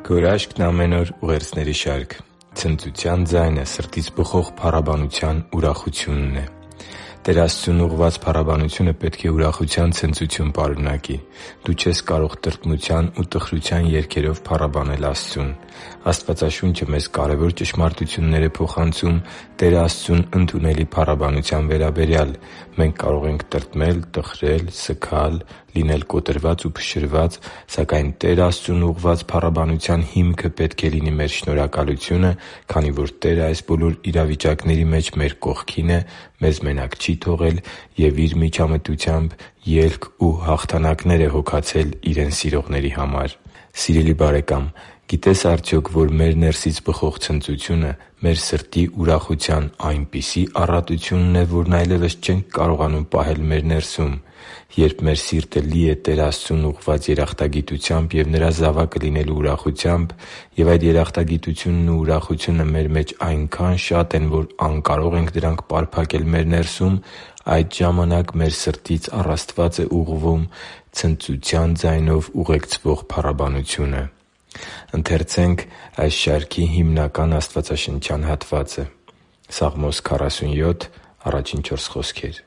Քո հրաշքն ամեն օր ուղերձների շարք։ Ցնծության ձայնը սրտից բխող փառաբանության ուրախությունն է։ Տեր Աստծուն ուղղված փառաբանությունը պետք է ուրախության ցնծություն պարունակի։ Դու չես կարող տրտմության ու տխրության երգերով փառաբանել Աստծուն։ Աստվածաշունչը մեզ կարևոր ճշմարտություններ է փոխանցում Տեր Աստծուն ընդունելի փառաբանության վերաբերյալ։ Մենք կարող ենք տրտմել, տխրել, սգալ, լինել կոտրված ու փշրված, սակայն Տեր Աստծուն ուղղված փառաբանության հիմքը պետք է լինի մեր շնորհակալությունը, քանի որ Տերը այս բոլոր իրավիճակների մեջ մեր կողքին է, մեզ մենակ չի թողել և Իր միջամտությամբ ելք ու հաղթանակներ է հոգացել Իրեն սիրողների համար։ Սիրելի՛ բարեկամ, գիտե՞ս արդյոք, որ մեր ներսից բխող ցնծությունը մեր սրտի ուրախության այնպիսի առատությունն է, որն այլևս չենք կարողանում պահել մեր ներսում։ Երբ մեր սիրտը լի է Տեր Աստծուն ուղղված երախտագիտությամբ և Նրա զավակը լինելու ուրախությամբ, և այդ երախտագիտությունն ու ուրախությունը մեր մեջ այնքան շատ են, որ անկարող ենք դրանք պարփակել մեր ներսում, այդ ժամանակ մեր սրտից առ Աստված է ուղղվում ցնծության ձայնով ուղեկցվող փառաբանությունը։ Սաղմոս 47 1-4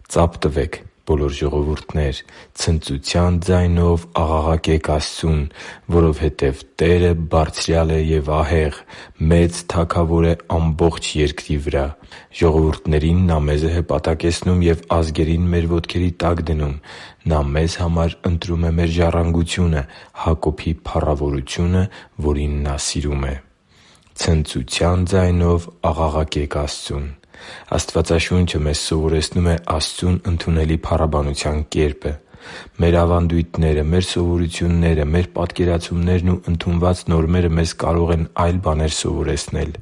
«Ծա՛փ տվեք, բոլոր ժողովուրդներ, ցնծության ձայնով աղաղակե՛ք Աստծուն, որովհետև Տերը Բարձրյալ է և ահեղ, մեծ Թագավոր է ամբողջ երկրի վրա։ Ժողովուրդներին Նա մեզ է հպատակեցնում և ազգերին մեր ոտքերի տակ դնում։ Նա մեզ համար ընտրում է մեր ժառանգությունը, Հակոբի փառավորությունը, որին Նա սիրում է» Ցնծության ձայնով աղաղակե՛ք Աստծուն։ Աստվածաշունչը մեզ սովորեցնում է Աստծուն ընդունելի փառաբանության կերպը։ Մեր ավանդույթները, մեր սովորությունները, մեր պատկերացումներն ու ընդունված նորմերը մեզ կարող են այլ բաներ սովորեցնել։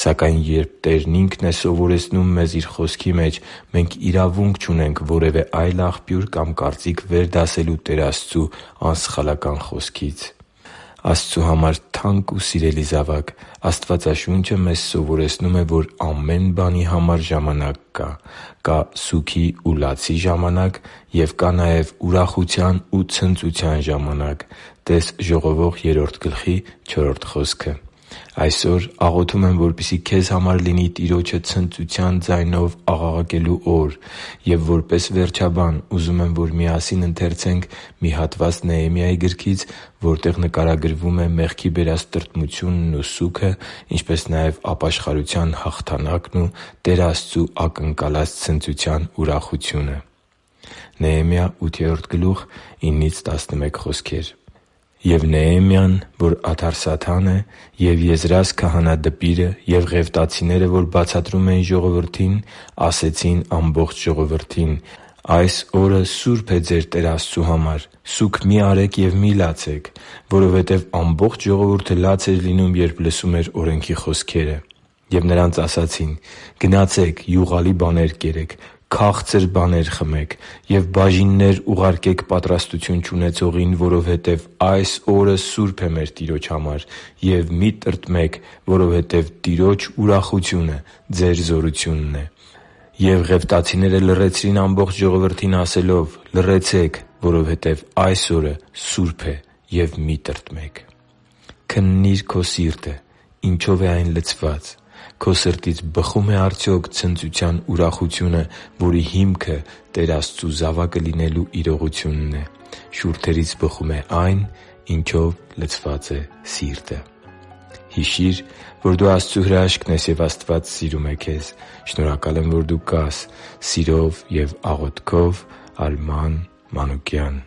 Սակայն երբ Տերն Ինքն է սովորեցնում մեզ Իր Խոսքի մեջ, մենք իրավունք չունենք որևէ այլ աղբյուր կամ կարծիք վերդասելու Տեր Աստծու անսխալական Խոսքից։ Աստծու համար թանկ ու սիրելի՛ զավակ, Աստվածաշունչը մեզ սովորեցնում է, որ ամեն բանի համար ժամանակ կա։ Կա սուգի ու լացի ժամանակ և կա նաև ուրախության ու ցնծության ժամանակ (տե՛ս Ժողովող 3.4 խոսքը)։ Այսօր աղոթում եմ, որպեսզի քեզ համար լինի Տիրոջը ցնծության ձայնով աղաղակելու օր։ Եվ որպես վերջաբան ուզում եմ, որ միասին ընթերցենք մի հատված Նեհեմիայի գրքից, որտեղ նկարագրվում է մեղքի բերած տրտմությունն ու սուգը, ինչպես նաև ապաշխարության հաղթանակն ու Տեր Աստծու ակնկալած ցնծության ուրախությունը։ Նեհեմիա 8:9-11 խոսքեր. «Եվ Նեհեմիան, որ ադարսաթան է, և Եզրას քահանա դպիրը, և ղևտացիները, որ բացատրում էին ժողովրդին, ասեցին ամբողջ ժողովրդին. «Այս օրը սուրբ է ձեր Տեր Աստծու համար. սուգ մի արեք և մի լացեք»։ Որովհետև ամբողջ ժողովուրդը լաց էր լինում, երբ լսում էր օրենքի խոսքերը։ Եվ նրանց ասացին. «Գնացե՛ք, յուղալի բաներ կերեք, քաղցր բաներ խմեք և բաժիններ ուղարկեք պատրաստություն չունեցողին, որովհետև այս օրը սուրբ է մեր Տիրոջ համար. և մի տրտմեք, որովհետև Տիրոջ ուրախությունը ձեր զորությունն է»։ Եվ ղևտացիները լռեցրին ամբողջ ժողովրդին, ասելով. «Լռեցե՛ք, որովհետև այս օրը սուրբ է, և մի տրտմեք»։ Քննի՛ր քո սիրտը՝ ինչո՞վ է այն լցված։ Քո սրտից բխո՞ւմ է արդյոք ցնծության ուրախությունը, որի հիմքը Տեր Աստծու զավակը լինելու իրողությունն է։ Շուրթերից բխում է այն, ինչով լցված է սիրտը։ Հիշի՛ր, որ դու Աստծո հրաշքն ես, և Աստված սիրում է քեզ։ Շնորհակալ եմ, որ դու կա՛ս։ Սիրով և աղոթքով, Արման Մանուկյան։